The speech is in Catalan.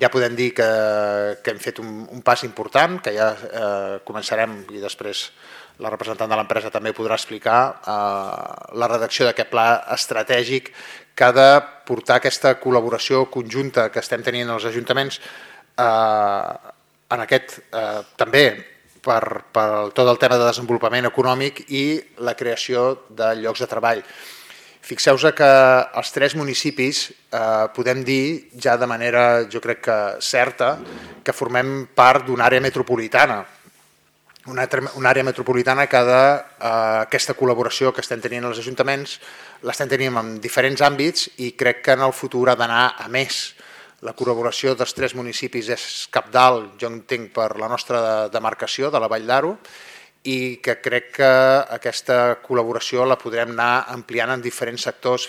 ja podem dir que hem fet un pas important, que ja començarem, i després la representant de l'empresa també podrà explicar, la redacció d'aquest pla estratègic que ha de portar aquesta col·laboració conjunta que estem tenint els ajuntaments en aquest també per tot el tema de desenvolupament econòmic i la creació de llocs de treball. Fixeu-vos que els 3 municipis podem dir ja de manera, jo crec que certa, que formem part d'una àrea metropolitana. Una àrea metropolitana que aquesta col·laboració que estem tenint els ajuntaments l'estem tenint en diferents àmbits i crec que en el futur ha d'anar a més. La col·laboració dels 3 municipis és cabdal, jo entenc, per la nostra demarcació de la Vall d'Aro, i que crec que aquesta col·laboració la podrem anar ampliant en diferents sectors